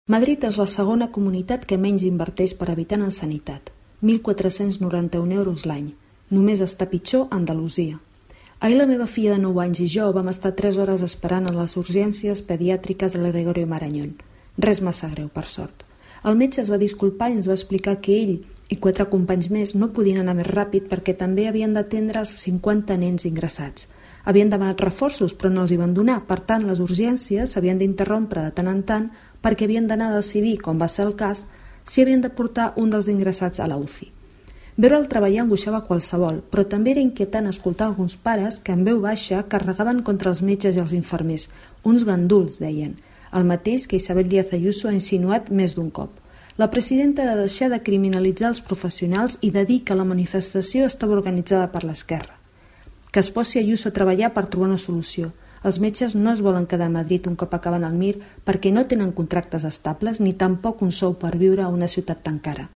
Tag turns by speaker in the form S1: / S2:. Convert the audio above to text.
S1: Madrid és la segona comunitat que menys inverteix per habitant en sanitat, 1.491 euros l'any. Només està pitjor Andalusia. Ahir la meva filla de 9 anys i jo vam estar 3 hores esperant a les urgències pediàtriques de la Gregorio Marañón. Res massa greu, per sort. El metge es va disculpar i ens va explicar que ell i 4 companys més no podien anar més ràpid perquè també havien d'atendre els 50 nens ingressats. Havien demanat reforços però no els hi van donar, per tant les urgències s'havien d'interrompre de tant en tant perquè havien d'anar a decidir, com va ser el cas, si havien de portar un dels ingressats a la UCI. Veure'l treballar angoixava qualsevol, però també era inquietant escoltar alguns pares que en veu baixa carregaven contra els metges i els infermers. Uns ganduls, deien, el mateix que Isabel Díaz Ayuso ha insinuat més d'un cop. La presidenta ha de deixar de criminalitzar els professionals i de dir que la manifestació estava organitzada per l'esquerra. Que es posi Ayuso a treballar per trobar una solució. Els metges no es volen quedar a Madrid un cop acaben el MIR perquè no tenen contractes estables ni tampoc un sou per viure a una ciutat tan cara.